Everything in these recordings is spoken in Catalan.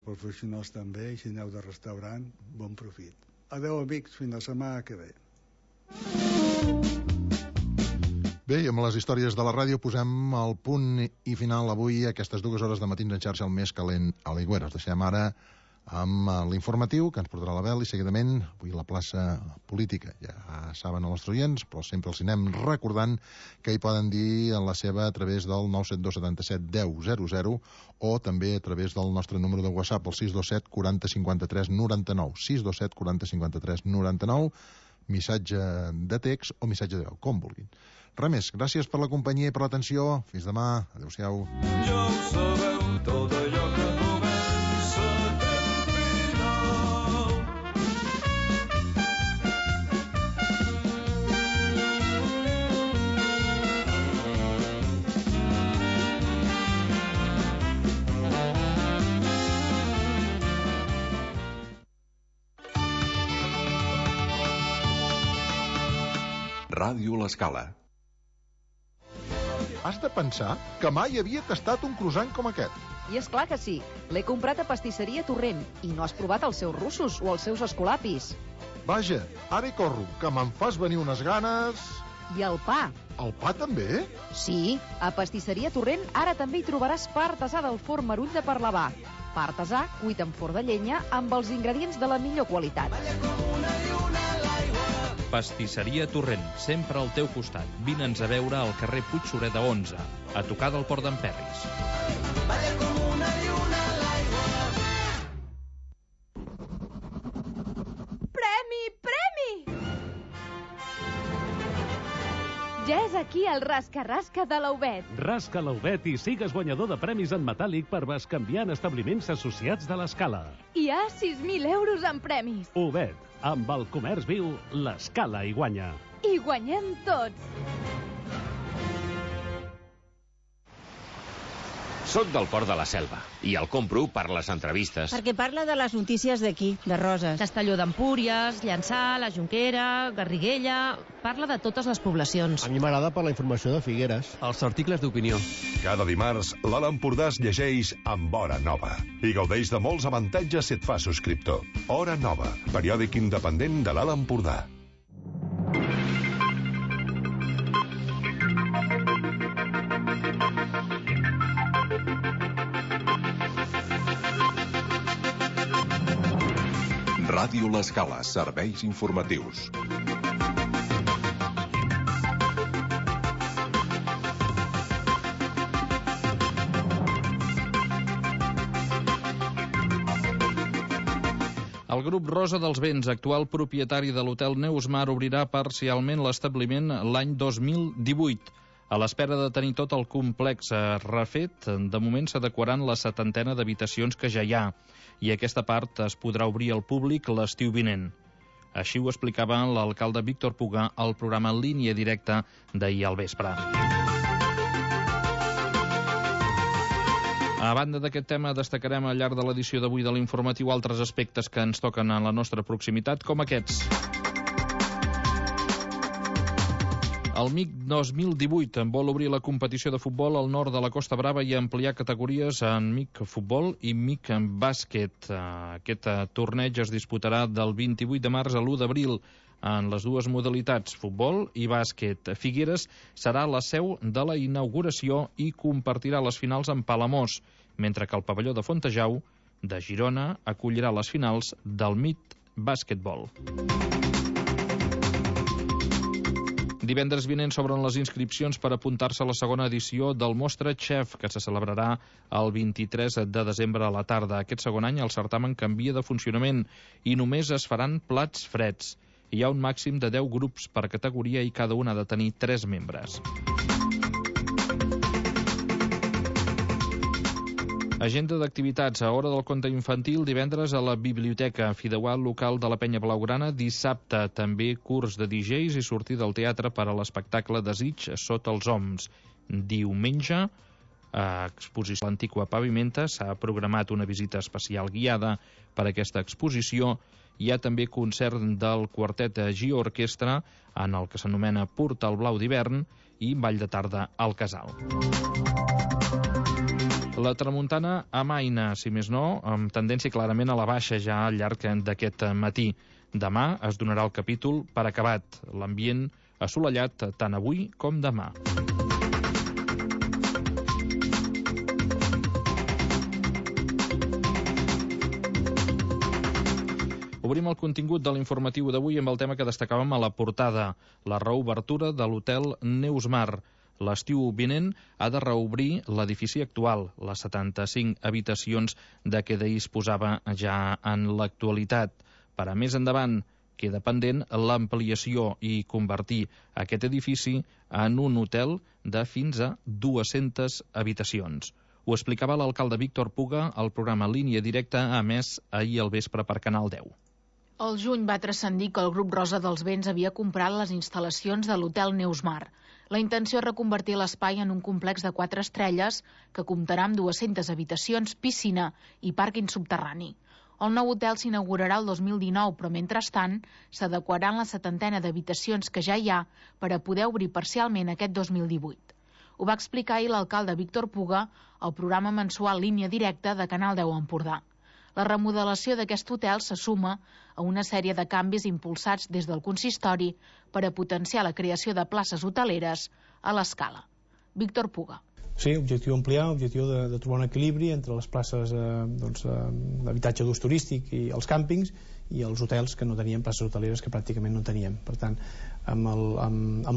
professionals també, i si aneu de restaurant, bon profit. Adeu, amics, fins la setmana que ve. Bé, i amb les històries de la ràdio posem el punt i final avui a aquestes 2 hores de matins en xarxa, el més calent a l'Aigüera. Us deixem ara amb l'informatiu que ens portarà la Bel, i seguidament avui la plaça política. Ja saben els nostres oients, però sempre els anem recordant que hi poden dir la seva a través del 972 77 10 00 o també a través del nostre número de WhatsApp, el 627 40 53 99, 627 40 53 99, missatge de text o missatge de veu, com vulguin. Res més, gràcies per la companyia i per l'atenció. Fins demà, adeu-siau. Ja ho sabeu, tot allò que comença té un final. Ràdio L'Escala. Has de pensar que mai havia tastat un croissant com aquest. I és clar que sí. L'he comprat a Pastisseria Torrent i no has provat els seus russos o els seus escolapis. Vaja, ara hi corro, que me'n fas venir unes ganes... I el pa. El pa també? Sí, a Pastisseria Torrent ara també hi trobaràs pa artesà del forn Marull de Parlavà. Pa artesà cuit en forn de llenya amb els ingredients de la millor qualitat. Pastisseria Torrent, sempre al teu costat. Vine'ns a veure al carrer Puig Sureda 11, a tocar del Port d'en Perris. Premi, premi! Ja és aquí el rasca-rasca de l'Aubet. Rasca l'Aubet i sigues guanyador de premis en metàl·lic per bescanviar en establiments associats de l'Escala. Hi ha 6.000 euros en premis. Aubet, amb el comerç viu, l'Escala hi guanya. I guanyem tots. Soc del Port de la Selva i el compro per les entrevistes. Perquè parla de les notícies d'aquí, de Roses. Castelló d'Empúries, Llançà, la Jonquera, Garriguella... Parla de totes les poblacions. A mi m'agrada per la informació de Figueres. Els articles d'opinió. Cada dimarts, l'Alt Empordà es llegeix amb Hora Nova i gaudeix de molts avantatges si et fa subscriptor. Hora Nova, periòdic independent de l'Alt Empordà. Ràdio L'Escala, serveis informatius. El grup Rosa dels Vents, actual propietari de l'hotel Neusmar, obrirà parcialment l'establiment l'any 2018. A l'espera de tenir tot el complex refet, de moment s'adequaran la 70ena d'habitacions que ja hi ha, i aquesta part es podrà obrir al públic l'estiu vinent. Així ho explicava l'alcalde Víctor Puga al programa Línia Directa d'ahir al vespre. A banda d'aquest tema, destacarem al llarg de l'edició d'avui de l'informatiu altres aspectes que ens toquen a la nostra proximitat, com aquests. El MIC 2018 vol obrir la competició de futbol al nord de la Costa Brava i ampliar categories en MIC Futbol i MIC Bàsquet. Aquest torneig es disputarà del 28 de març a l'1 d'abril en les dues modalitats, futbol i bàsquet. Figueres serà la seu de la inauguració i compartirà les finals amb Palamós, mentre que el pavelló de Fontejau de Girona acollirà les finals del MIC Bàsquetbol. Divendres vinent s'obren les inscripcions per apuntar-se a la segona edició del Mostra Chef, que se celebrarà el 23 de desembre a la tarda. Aquest segon any el certamen canvia de funcionament i només es faran plats freds. Hi ha un màxim de 10 grups per categoria i cada un ha de tenir 3 membres. Agenda d'activitats. A Hora del Conte Infantil, divendres a la Biblioteca Fideuà local de la Penya Blaugrana. Dissabte també curs de DJs i sortida al teatre per a l'espectacle Desig sota els oms. Diumenge, a exposició a l'Antiqua Pavimenta, s'ha programat una visita especial guiada per a aquesta exposició. Hi ha també concert del quartet Gio Orquestra en el que s'anomena Portal Blau d'hivern i ball de tarda al Casal. La tramuntana amaina, si més no, amb tendència clarament a la baixa ja al llarg d'aquest matí. Demà es donarà el capítol per acabat. L'ambient assolellat tant avui com demà. Obrim el contingut de l'informatiu d'avui amb el tema que destacàvem a la portada, la reobertura de l'hotel Neusmar. L'estiu vinent ha de reobrir l'edifici actual, les 75 habitacions de què disposava ja en l'actualitat. Per a més endavant, queda pendent l'ampliació i convertir aquest edifici en un hotel de fins a 200 habitacions. Ho explicava l'alcalde Víctor Puga al programa Línia Directa, emès ahir al vespre per Canal 10. Al juny va transcendir que el grup Rosa dels Vents havia comprat les instal·lacions de l'hotel Neusmar. La intenció és reconvertir l'espai en un complex de 4 estrelles que comptarà amb 200 habitacions, piscina i pàrquing subterrani. El nou hotel s'inaugurarà el 2019, però mentrestant s'adequaran la 70 d'habitacions que ja hi ha per a poder obrir parcialment aquest 2018. Ho va explicar ahir l'alcalde Víctor Puga al programa mensual Línia Directa de Canal 10 Empordà. La remodelació d'aquest hotel se suma a una sèrie de canvis impulsats des del consistori per a potenciar la creació de places hoteleres a l'escala. Víctor Puga. Sí, objectiu ampliar, objectiu de trobar un equilibri entre les places d'habitatge d'ús turístic i els càmpings i els hotels que no tenien places hoteleres, que pràcticament no teníem. Per tant, amb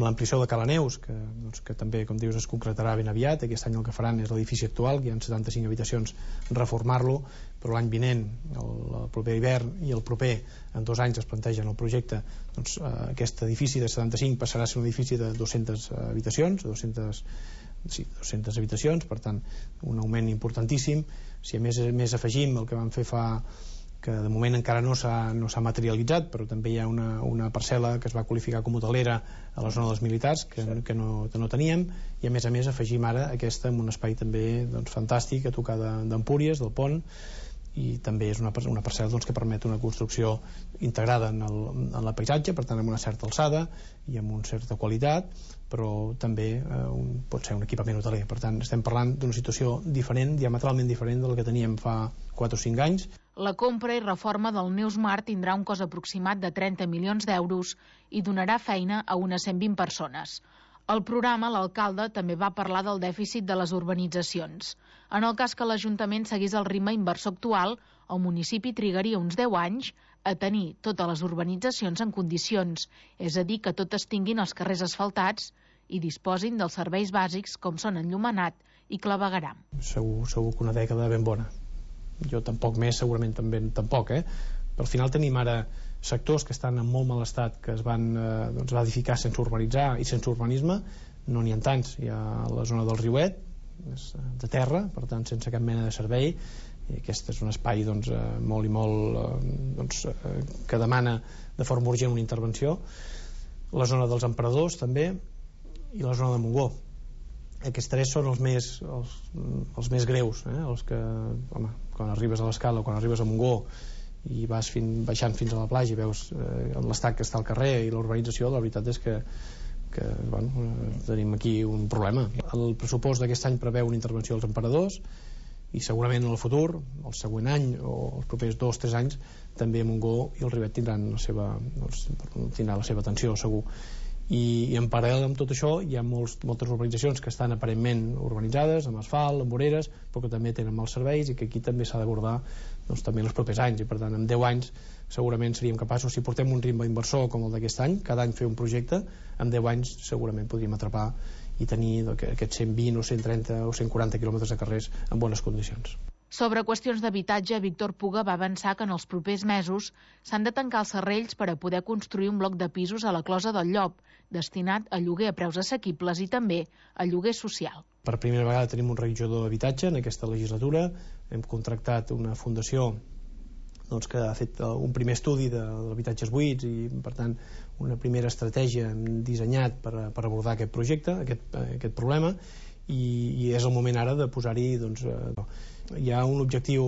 l'ampliació de Cala Neus, que també, com dius, es concretarà ben aviat, aquest any el que faran és l'edifici actual, que hi ha 75 habitacions, reformar-lo, però l'any vinent, el proper hivern i el proper, en 2 anys es plantegen el projecte, doncs aquest edifici de 75 passarà a ser un edifici de 200 habitacions, 200 habitacions, per tant, un augment importantíssim. Si a més afegim el que vam fer que de moment encara no s'ha materialitzat, però també hi ha una parcel·la que es va qualificar com hotelera a la zona dels militars, que no teníem, i a més afegim ara aquesta en un espai també fantàstic a tocar d'Empúries, del pont, i també és una parcel·la que permet una construcció integrada en el paisatge, per tant amb una certa alçada i amb una certa qualitat, però també pot ser un equipament hoteler. Per tant, estem parlant d'una situació diferent, diametralment diferent de la que teníem fa 4 o 5 anys. La compra i reforma del Neusmar tindrà un cost aproximat de 30 milions d'euros i donarà feina a unes 120 persones. Al programa, l'alcalde també va parlar del dèficit de les urbanitzacions. En el cas que l'Ajuntament seguís el ritme inversor actual, el municipi trigaria uns 10 anys a tenir totes les urbanitzacions en condicions, és a dir, que totes tinguin els carrers asfaltats i disposin dels serveis bàsics com són enllumenat i clavegueram. Segur que una dècada ben bona. Jo tampoc més, segurament també tampoc, Però al final tenim ara sectors que estan en molt mal estat, que es van edificar sense urbanitzar i sense urbanisme, no n'hi ha tants. Hi ha la zona del Riuet, de terra, per tant sense cap mena de servei, i aquest és un espai molt i molt que demana de forma urgent una intervenció. La zona dels Emperadors també, i la zona de Montgó. Aquests 3 són els més greus, els que, quan arribes a l'Escala o quan arribes a Montgó i vas baixant fins a la platja i veus l'estat que està al carrer i l'urbanització, la veritat és que tenim aquí un problema. El pressupost d'aquest any preveu una intervenció als Emperadors i segurament en el futur, el següent any o els propers 2 o 3 anys, també Montgó i el Rivet tindran la seva atenció, segur. I en paral·lel amb tot això hi ha moltes urbanitzacions que estan aparentment urbanitzades, amb asfalt, amb voreres, però que també tenen mals serveis i que aquí també s'ha d'abordar també en els propers anys, i per tant en 10 anys segurament seríem capaços, si portem un ritme inversor com el d'aquest any, cada any fer un projecte, en 10 anys segurament podríem atrapar i tenir aquests 120 o 130 o 140 quilòmetres de carrers en bones condicions. Sobre qüestions d'habitatge, Víctor Puga va avançar que en els propers mesos s'han de tancar els serrells per a poder construir un bloc de pisos a la Closa del Llop, destinat a lloguer a preus assequibles i també a lloguer social. Per primera vegada tenim un reguitzador d'habitatge en aquesta legislatura. Hem contractat una fundació que ha fet un primer estudi d'habitatges buits i, per tant, una primera estratègia dissenyat per abordar aquest projecte, aquest problema, i és el moment ara de posar-hi hi ha un objectiu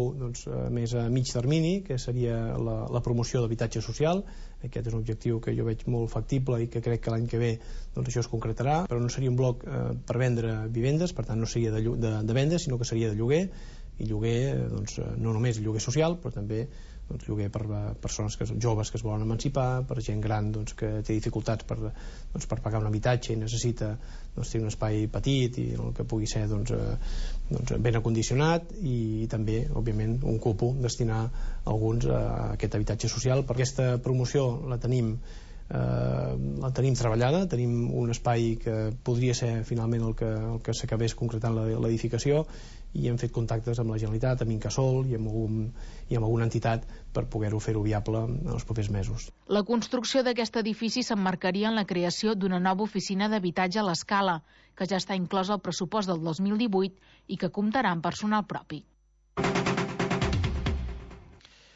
més a mig termini, que seria la promoció d'habitatge social. Aquest és un objectiu que jo veig molt factible i que crec que l'any que ve això es concretarà, però no seria un bloc per vendre vivendes, per tant no seria de venda, sinó que seria de lloguer, i lloguer no només lloguer social, però també lloguer per persones joves que es volen emancipar, per gent gran que té dificultats per pagar un habitatge i necessita tenir un espai petit i el que pugui ser ben acondicionat, i també òbviament un cupo destinar alguns a aquest habitatge social. Per aquesta promoció la tenim treballada, tenim un espai que podria ser finalment el que s'acabés concretant l'edificació, i hem fet contactes amb la Generalitat, amb Incasòl i amb alguna entitat per poder-ho fer-ho viable en els propers mesos. La construcció d'aquest edifici s'emmarcaria en la creació d'una nova oficina d'habitatge a l'Escala, que ja està inclosa al pressupost del 2018 i que comptarà amb personal propi.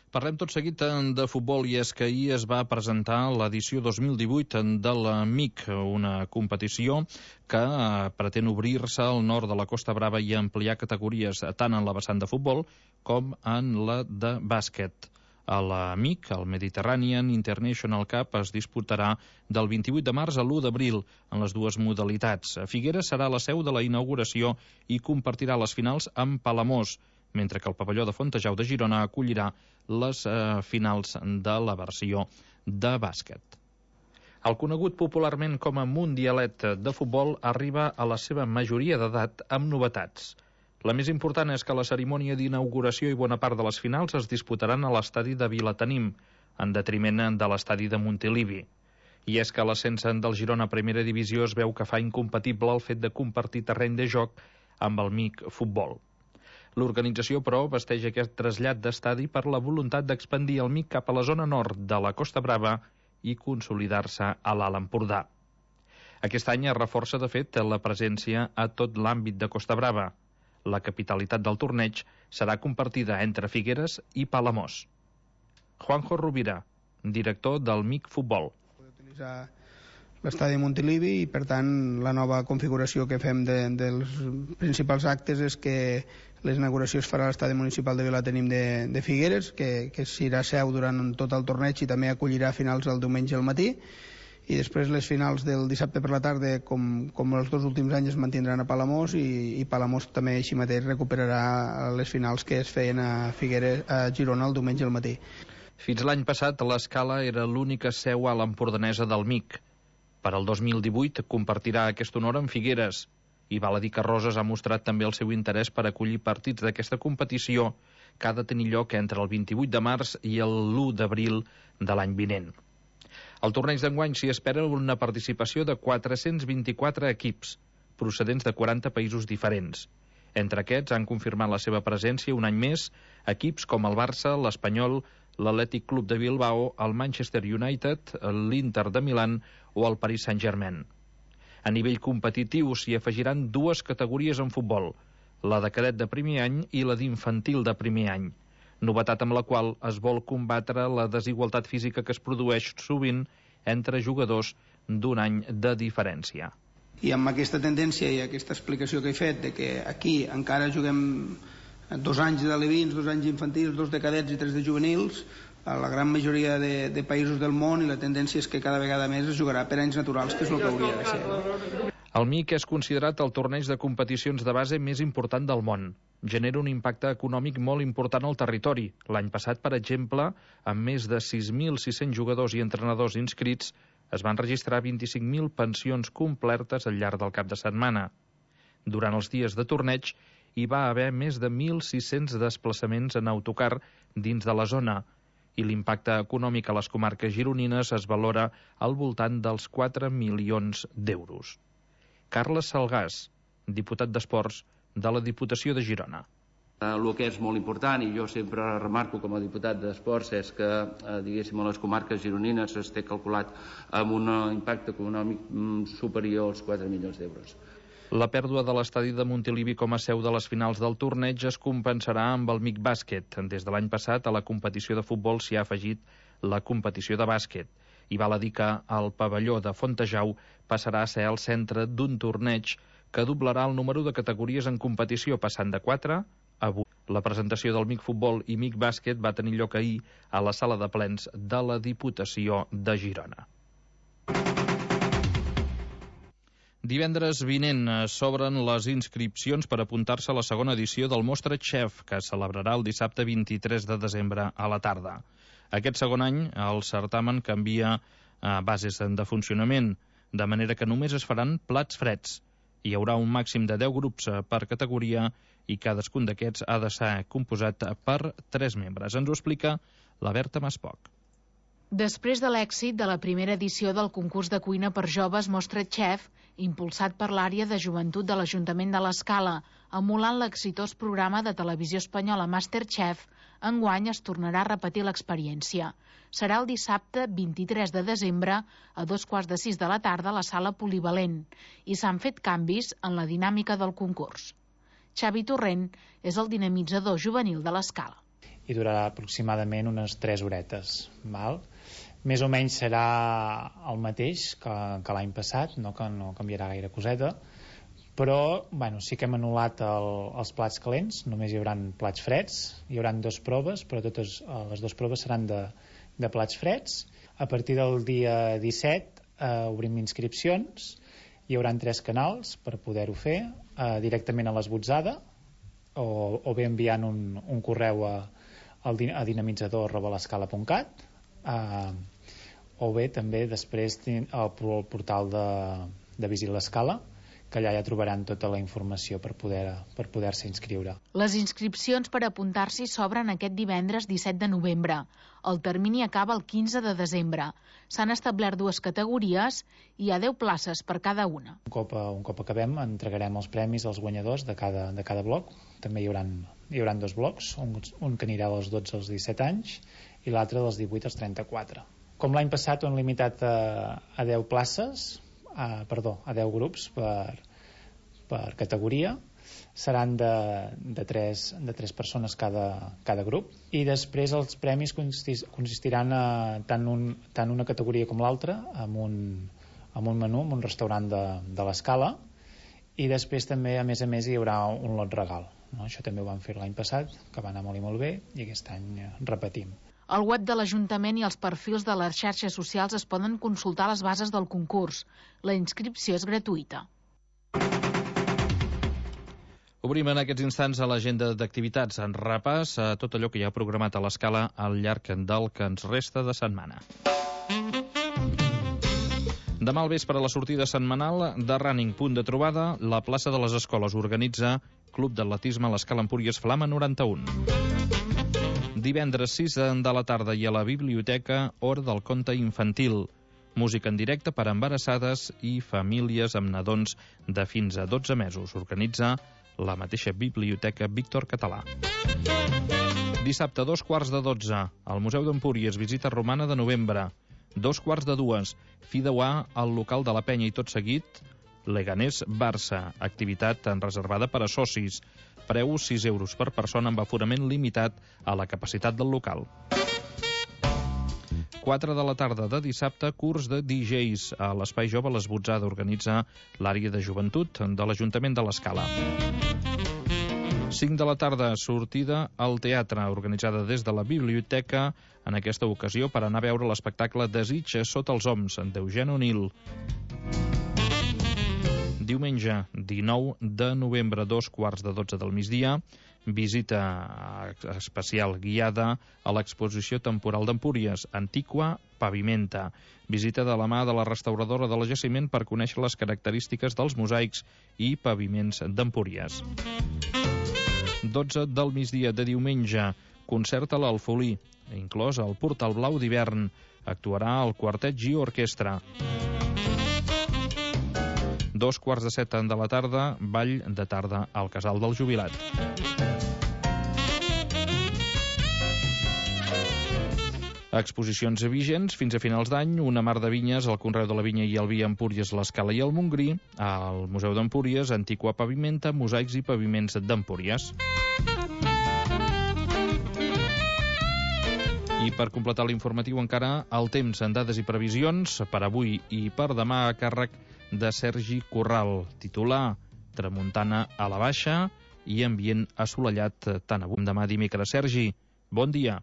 Parlem tot seguit de futbol, i és que ahir es va presentar l'edició 2018 de l'AMIC, una competició que pretén obrir-se al nord de la Costa Brava i ampliar categories tant en la vessant de futbol com en la de bàsquet. A l'AMIC, el Mediterranean International Cup, es disputarà del 28 de març a l'1 d'abril en les dues modalitats. Figueres serà la seu de la inauguració i compartirà les finals amb Palamós, mentre que el pavelló de Fontejau de Girona acollirà les finals de la versió de bàsquet. El conegut popularment com a Mundialet de futbol arriba a la seva majoria d'edat amb novetats. La més important és que la cerimònia d'inauguració i bona part de les finals es disputaran a l'estadi de Vilatenim, en detriment de l'estadi de Montilivi. I és que l'ascens del Girona a Primera Divisió es veu que fa incompatible el fet de compartir terreny de joc amb el MIC Futbol. L'organització, però, vesteix aquest trasllat d'estadi per la voluntat d'expandir el MIC cap a la zona nord de la Costa Brava i consolidar-se a l'Alt Empordà. Aquest any es reforça, de fet, la presència a tot l'àmbit de Costa Brava. La capitalitat del torneig serà compartida entre Figueres i Palamós. Juanjo Rovira, director del MIC Futbol. Utilitzar l'estadi de Montilivi, i per tant la nova configuració que fem dels principals actes és que l'inauguració es farà a l'estadi municipal de Vilatenim de Figueres, que serà seu durant tot el torneig i també acollirà finals el diumenge al matí, i després les finals del dissabte per la tarda, com els dos últims anys, es mantindran a Palamós, i Palamós també així mateix recuperarà les finals que es feien a Girona el diumenge al matí. Fins l'any passat, l'Escala era l'única seu a l'empordanesa del MIC. Per al 2018 compartirà aquest honor amb Figueres, i val a dir que Roses ha mostrat també el seu interès per acollir partits d'aquesta competició, que ha de tenir lloc entre el 28 de març i l'1 d'abril de l'any vinent. Al torneig d'enguany s'hi espera una participació de 424 equips, procedents de 40 països diferents. Entre aquests han confirmat la seva presència un any més equips com el Barça, l'Espanyol, l'Atlètic Club de Bilbao, el Manchester United, l'Inter de Milán o el Paris Saint-Germain. A nivell competitiu s'hi afegiran dues categories en futbol, la de cadet de primer any i la d'infantil de primer any, novetat amb la qual es vol combatre la desigualtat física que es produeix sovint entre jugadors d'un any de diferència. I amb aquesta tendència i aquesta explicació que he fet de que aquí encara juguem 2 anys d'alevins, 2 anys infantils, 2 de cadets i 3 de juvenils, a la gran majoria de països del món, i la tendència és que cada vegada més es jugarà per anys naturals, que és el que hauria de ser. El MIC és considerat el torneig de competicions de base més important del món. Genera un impacte econòmic molt important al territori. L'any passat, per exemple, amb més de 6.600 jugadors i entrenadors inscrits, es van registrar 25.000 pensions complertes al llarg del cap de setmana. Durant els dies de torneig hi va haver més de 1.600 desplaçaments en autocar dins de la zona, i l'impacte econòmic a les comarques gironines es valora al voltant dels 4 milions d'euros. Carles Salgàs, diputat d'Esports de la Diputació de Girona. El que és molt important, i jo sempre remarco com a diputat d'Esports, és que, diguéssim, a les comarques gironines es té calculat amb un impacte econòmic superior als 4 milions d'euros. La pèrdua de l'estadi de Montilivi com a seu de les finals del torneig es compensarà amb el MIC Bàsquet. Des de l'any passat, a la competició de futbol s'hi ha afegit la competició de bàsquet. I val a dir que el pavelló de Fontejau passarà a ser el centre d'un torneig que doblarà el número de categories en competició, passant de 4 avui. La presentació del MIC Futbol i MIC Bàsquet va tenir lloc ahir a la sala de plens de la Diputació de Girona. Divendres vinent s'obren les inscripcions per apuntar-se a la segona edició del Mostra Chef, que es celebrarà el dissabte 23 de desembre a la tarda. Aquest segon any, el certamen canvia bases de funcionament, de manera que només es faran plats freds. Hi haurà un màxim de 10 grups per categoria i cadascun d'aquests ha de ser composat per 3 membres. Ens ho explica la Berta Maspoc. Després de l'èxit de la primera edició del concurs de cuina per joves Mostra Chef, impulsat per l'àrea de joventut de l'Ajuntament de l'Escala, emulant l'exitós programa de televisió espanyola MasterChef, enguany es tornarà a repetir l'experiència. Serà el dissabte 23 de desembre a 5:45 de la tarda a la sala polivalent i s'han fet canvis en la dinàmica del concurs. Xavi Torrent és el dinamitzador juvenil de l'Escala. I durarà aproximadament unes 3 horetes. Val? Més o menys serà el mateix que l'any passat, no canviarà gaire coseta, però sí que hem anul·lat els plats calents, només hi haurà plats freds, hi haurà 2 proves, però totes les 2 proves seran de plats freds. A partir del dia 17 obrim inscripcions, hi haurà 3 canals per poder-ho fer, directament a l'esbotzada, o bé enviant un correu a dinamitzador@l'escala.cat, o bé també després al portal de Visit l'Escala, que allà ja trobaran tota la informació per poder-se inscriure. Les inscripcions per apuntar-s'hi s'obren aquest divendres 17 de novembre. El termini acaba el 15 de desembre. S'han establert 2 categories i hi ha 10 places per cada una. Un cop acabem, entregarem els premis als guanyadors de cada bloc. També hi haurà 2 blocs, un que anirà dels 12 als 17 anys i l'altre dels 18 als 34. Com l'any passat ho hem limitat a 10 places, a 10 grups per categoria. Seran de 3 persones cada grup. I després els premis consistiran tant una categoria com l'altra amb un menú, amb un restaurant de l'Escala, i després també, a més, hi haurà un lot regal. Això també ho vam fer l'any passat, que va anar molt i molt bé, i aquest any repetim. Al web de l'Ajuntament i els perfils de les xarxes socials es poden consultar les bases del concurs. La inscripció és gratuïta. Obrim en aquests instants a l'agenda d'activitats en repàs a tot allò que hi ha programat a l'Escala al llarg del que ens resta de setmana. Demà al vespre, a la sortida setmanal de Running, punt de trobada, la plaça de les Escoles organitza Club d'Atletisme a l'Escala Empúries Flama 91. Divendres 6 de la tarda i a la biblioteca, hora del conte infantil. Música en directe per a embarassades i famílies amb nadons de fins a 12 mesos. Organitza la mateixa biblioteca Víctor Català. Dissabte, 2:15, al Museu d'Empúries, visita romana de novembre. 2:45, fi de al local de la Penya i tot seguit, Leganés-Barça, activitat reservada per a socis. Preu 6 euros per persona amb aforament limitat a la capacitat del local. 4 de la tarda de dissabte, curs de DJs a l'Espai Jove l'Esbotzada, organitza l'àrea de joventut de l'Ajuntament de l'Escala. 5 de la tarda, sortida al teatre, organitzada des de la biblioteca, en aquesta ocasió per anar a veure l'espectacle Desig sota els oms, d'Eugene O'Neill. Diumenge, 19 de novembre, 2:15 del migdia, visita especial guiada a l'exposició temporal d'Empúries, Antiqua Pavimenta. Visita de la mà de la restauradora de la jaciment per conèixer les característiques dels mosaics i paviments d'Empúries. 12 del migdia de diumenge, concert a l'Alfolí, inclòs el Portal Blau d'hivern. Actuarà el Quartet Gio Orquestra. 2:15 de la tarda, ball de tarda al Casal del Jubilat. Exposicions vigents fins a finals d'any, una mar de vinyes, el Conreu de la Vinya i el Vi a Empúries, l'Escala i el Montgrí, al Museu d'Empúries, Antiqua Pavimenta, mosaics i paviments d'Empúries. I per completar l'informatiu encara el temps en dades i previsions per avui i per demà a càrrec de Sergi Corral. Titular: tramuntana a la baixa i ambient assolellat tant avui com demà dimecres. Sergi, bon dia.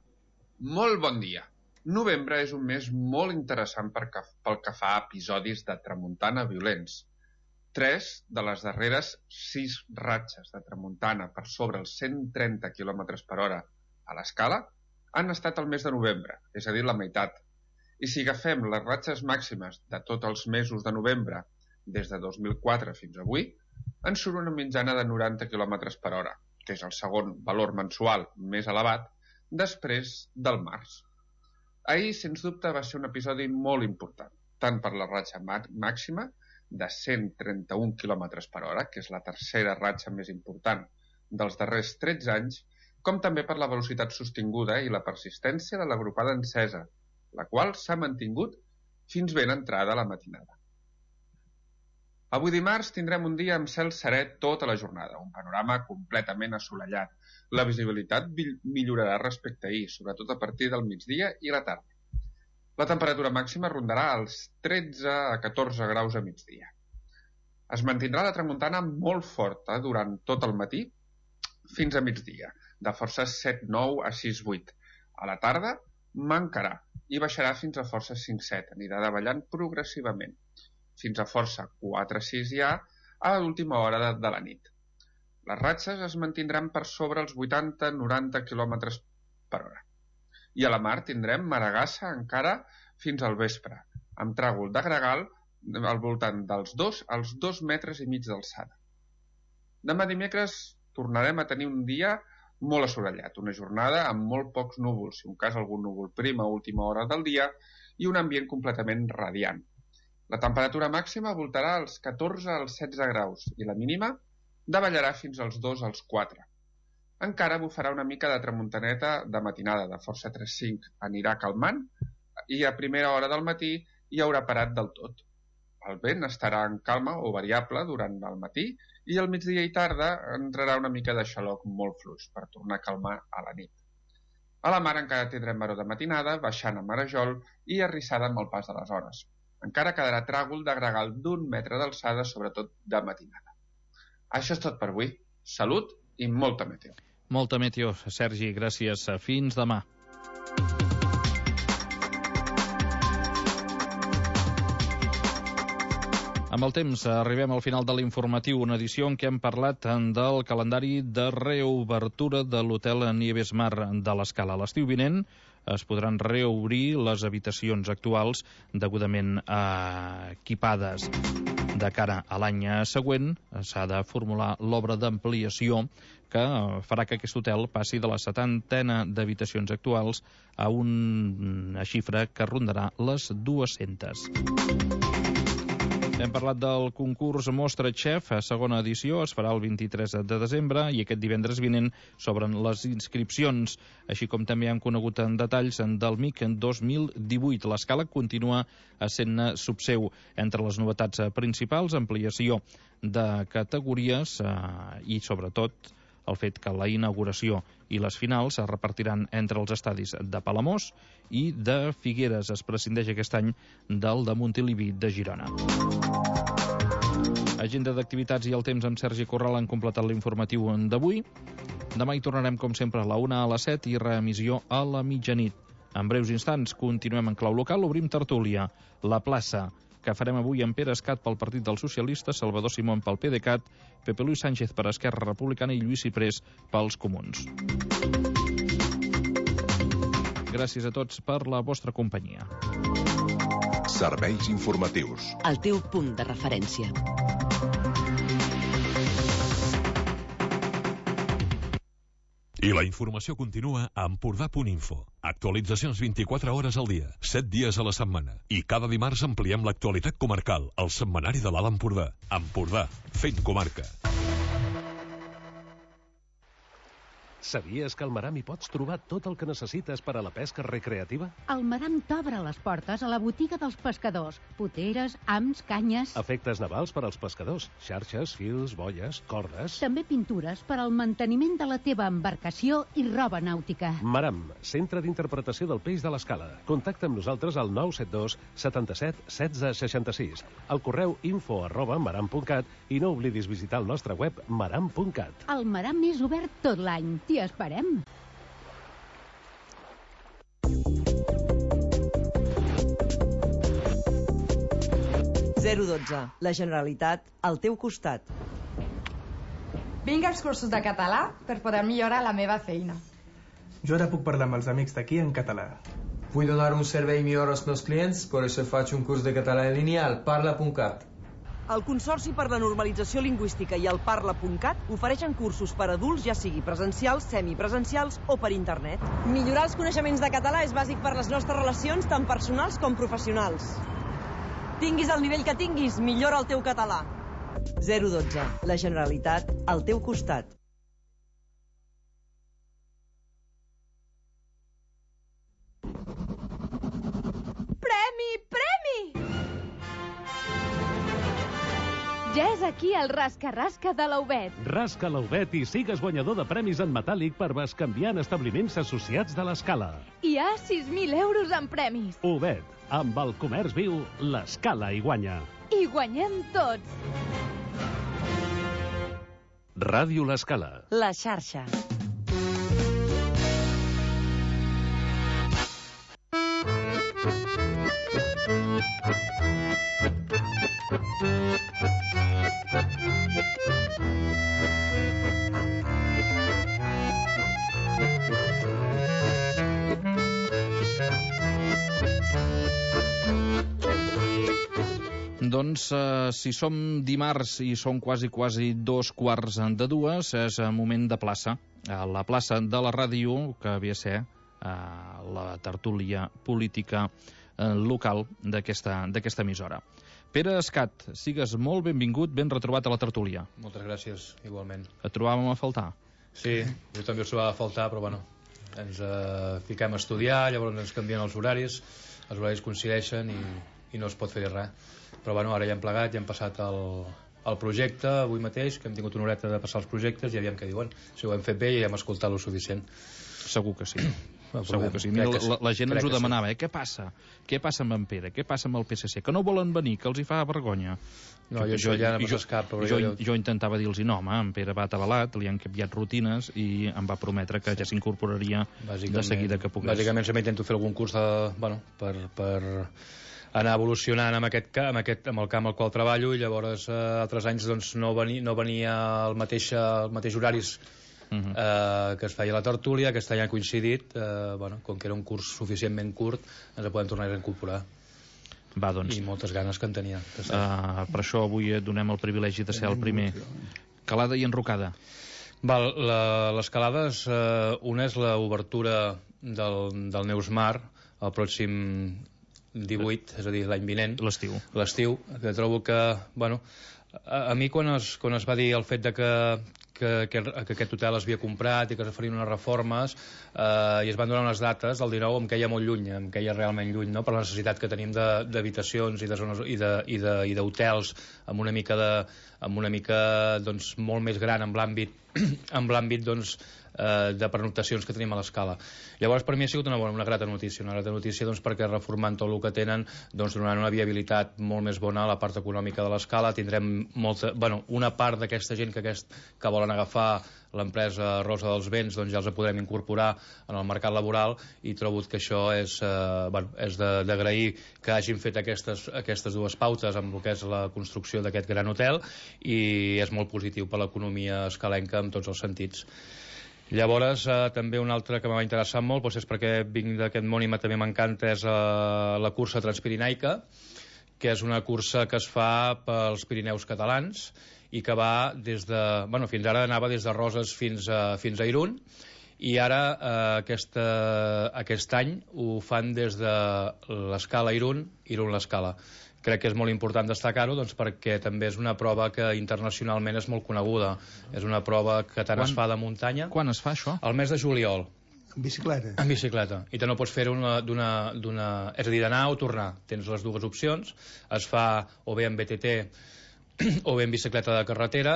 Molt bon dia. Novembre és un mes molt interessant pel que fa a episodis de tramuntana violents. 3 de les darreres 6 ratxes de tramuntana per sobre els 130 km per hora a l'escala han estat al mes de novembre, és a dir, la meitat. I si agafem les ratxes màximes de tots els mesos de novembre, des de 2004 fins avui, ens surt una mitjana de 90 km per hora, que és el segon valor mensual més elevat després del març. Ahir, sens dubte, va ser un episodi molt important, tant per la ratxa màxima de 131 km per hora, que és la tercera ratxa més important dels darrers 13 anys, com també per la velocitat sostinguda i la persistència de l'agrupada encesa, la qual s'ha mantingut fins ben entrada la matinada. Avui dimarts tindrem un dia amb cel serè tota la jornada, un panorama completament assolellat. La visibilitat millorarà respecte a ahir, sobretot a partir del migdia i la tarda. La temperatura màxima rondarà els 13 a 14 graus a migdia. Es mantindrà la tramuntana molt forta durant tot el matí fins a migdia, de forces 7-9 a 6-8. A la tarda mancarà i baixarà fins a forces 5-7, anirà davallant progressivament, fins a força 4-6 ja a l'última hora de la nit. Les ratxes es mantindran per sobre els 80-90 km per hora. I a la mar tindrem maregassa encara fins al vespre, amb tràgol de gregal al voltant dels 2 als 2 metres i mig d'alçada. Demà dimecres tornarem a tenir un dia molt assolellat, una jornada amb molt pocs núvols, si un cas algun núvol prim a última hora del dia, i un ambient completament radiant. La temperatura màxima voltarà als 14 als 16 graus i la mínima davallarà fins als 2 als 4. Encara bufarà una mica de tramuntaneta de matinada, de força 3-5. Anirà calmant i a primera hora del matí hi haurà parat del tot. El vent estarà en calma o variable durant el matí i al migdia i tarda entrarà una mica de xaloc molt fluix per tornar a calmar a la nit. A la mar encara tindrem maror de matinada, baixant a marejol i arrissada amb el pas de les hores. Encara quedarà tràgol de gregal d'1 metre d'alçada, sobretot de matinada. Això és tot per avui. Salut i molta meteo. Molta meteo, Sergi, gràcies. Fins demà. Amb el temps arribem al final de l'informatiu, una edició en què hem parlat del calendari de reobertura de l'hotel Nieves Mar de l'Escala. L'estiu vinent es podran reobrir les habitacions actuals degudament equipades. De cara a l'any següent s'ha de formular l'obra d'ampliació que farà que aquest hotel passi de la 70 d'habitacions actuals a una xifra que rondarà les 200. Hem parlat del concurs Mostra Chef, segona edició, es farà el 23 de desembre i aquest divendres vinent s'obren les inscripcions, així com també hem conegut en detalls del MIC 2018. L'escala continua sent subseu. Entre les novetats principals, ampliació de categories i, sobretot, el fet que la inauguració i les finals es repartiran entre els estadis de Palamós i de Figueres. Es prescindeix aquest any del de Montilivi de Girona. Agenda d'activitats i el temps amb Sergi Corral han completat l'informatiu d'avui. Demà hi tornarem, com sempre, a la 1 a les 7 i reemissió a la mitjanit. En breus instants continuem en clau local, obrim tertúlia. La plaça, que farem avui amb Pere Escat pel Partit dels Socialistes, Salvador Simón pel PDeCAT, Pepe Luis Sánchez per Esquerra Republicana i Lluís Ciprés pels Comuns. Gràcies a tots per la vostra companyia. Serveis informatius. El teu punt de referència. I la informació continua a Empordà.info. Actualitzacions 24 hores al dia, 7 dies a la setmana. I cada dimarts ampliem l'actualitat comarcal, al setmanari de l'Alt Empordà. Empordà, fent comarca. Sabies que al Maram hi pots trobar tot el que necessites per a la pesca recreativa? El Maram t'obre les portes a la botiga dels pescadors. Poteres, hams, canyes... Efectes navals per als pescadors. Xarxes, fils, boies, cordes... També pintures per al manteniment de la teva embarcació i roba nàutica. Maram, centre d'interpretació del peix de l'Escala. Contacta amb nosaltres al 972 77 16 66, al correu info@maram.cat i no oblidis visitar el nostre web maram.cat. El Maram és obert tot l'any. T'hi esperem. La Generalitat al teu costat. Vinc als cursos de català per poder millorar la meva feina. Jo ara puc parlar amb els amics d'aquí en català. Vull donar un servei millor als meus clients, per això faig un curs de català en línia al parla.cat. El Consorci per la Normalització Lingüística i el Parla.cat ofereixen cursos per adults, ja sigui presencials, semipresencials o per internet. Millorar els coneixements de català és bàsic per les nostres relacions, tant personals com professionals. Tinguis el nivell que tinguis, millora el teu català. 012. La Generalitat al teu costat. Premi! Premi! Ja és aquí el rasca-rasca de l'Aubet. Rasca l'Aubet i sigues guanyador de premis en metàl·lic per bescanviar en establiments associats de l'Escala. Hi ha 6.000 euros en premis. Aubet, amb el comerç viu, l'Escala hi guanya. I guanyem tots. Ràdio l'Escala. La xarxa. Doncs, si som dimarts i són quasi 2:15, és moment de plaça. A la plaça de la ràdio, que havia de ser la tertúlia política local d'aquesta emissora. Pere Escat, sigues molt benvingut, ben retrobat a la tertúlia. Moltes gràcies, igualment. Et trobàvem a faltar? Sí, jo també us trobava a faltar, però bueno, ens fiquem a estudiar, llavors ens canvien els horaris coincideixen i no es pot fer res. Però bueno, ara ja hem plegat, ja hem passat el projecte avui mateix, que hem tingut una horeta de passar els projectes i aviam què diuen. Si ho hem fet bé i hem escoltat lo suficient. Segur que sí. Segur que sí. Mira, la gent ens ho demanava, Què passa? Què passa amb en Pere? Què passa amb el PSC? Que no volen venir, que els hi fa vergonya. No, jo ja no passa cap. Jo intentava dir-los, no, home, en Pere va atabalat, li han canviat rutines i em va prometre que ja s'incorporaria de seguida que pogués. Bàsicament sempre intento fer algun curs per anar evolucionant amb el camp al qual treballo, i llavors altres anys doncs, no venia el mateix horaris que es feia la tertúlia. Aquest any ha coincidit, com que era un curs suficientment curt, ens podem tornar a incorporar. Va, doncs. I moltes ganes que en tenia. Per això avui et donem el privilegi de ser el primer. Calada i enrocada. L'escalada, una és l'obertura del Neus Mar el pròxim 18, és a dir, l'any vinent. L'estiu. Que trobo que, a mi quan es va dir el fet de que aquest hotel es havia comprat i que es farien unes reformes i es van donar unes dates, el 19 em queia molt lluny, em queia realment lluny, no? Per la necessitat que tenim d'habitacions i de zones i d'hotels amb una mica doncs, molt més gran amb l'àmbit doncs, de pernoctacions que tenim a l'Escala. Llavors per mi ha sigut una grata notícia, doncs, perquè reformant tot el que tenen doncs donaran una viabilitat molt més bona a la part econòmica de l'Escala. Tindrem una part d'aquesta gent que volen agafar l'empresa Rosa dels Vents, doncs ja els podrem incorporar en el mercat laboral, i trobo que això és d'agrair que hagin fet aquestes dues pautes amb el que és la construcció d'aquest gran hotel, i és molt positiu per l'economia escalenca en tots els sentits. Llavors, també un altre que m'ha interessat molt, doncs és perquè vinc d'aquest món i també m'encanta, és la cursa transpirinaica, que és una cursa que es fa pels Pirineus catalans i que va fins ara anava des de Roses fins a Irún, i ara aquest any ho fan des de l'Escala Irún l'Escala. Crec que és molt important destacar-ho perquè també és una prova que internacionalment és molt coneguda. És una prova que tant es fa de muntanya... Quan es fa això? Al mes de juliol. En bicicleta? En bicicleta. I te no pots fer-ho és a dir, d'anar o tornar. Tens les dues opcions. Es fa o bé en BTT o bé en bicicleta de carretera,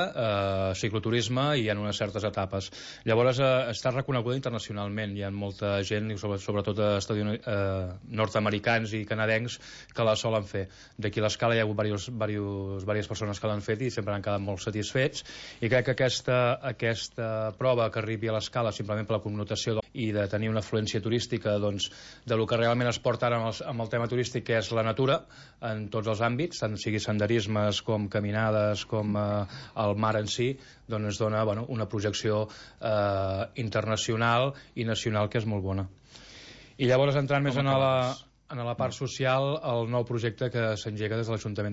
cicloturisme, i hi ha unes certes etapes. Llavors està reconeguda internacionalment. Hi ha molta gent, sobretot nord-americans i canadencs, que la solen fer. D'aquí a l'Escala hi ha hagut diverses persones que l'han fet i sempre han quedat molt satisfets, i crec que aquesta prova que arribi a l'Escala simplement per la connotació i de tenir una afluència turística de lo que realment es porta ara amb el tema turístic, que és la natura en tots els àmbits, tant sigui senderismes com caminades, com el mar en si, doncs ens dona una projecció internacional i nacional que és molt bona. I llavors, entrant més en la part social, el nou projecte que s'engega des de l'Ajuntament de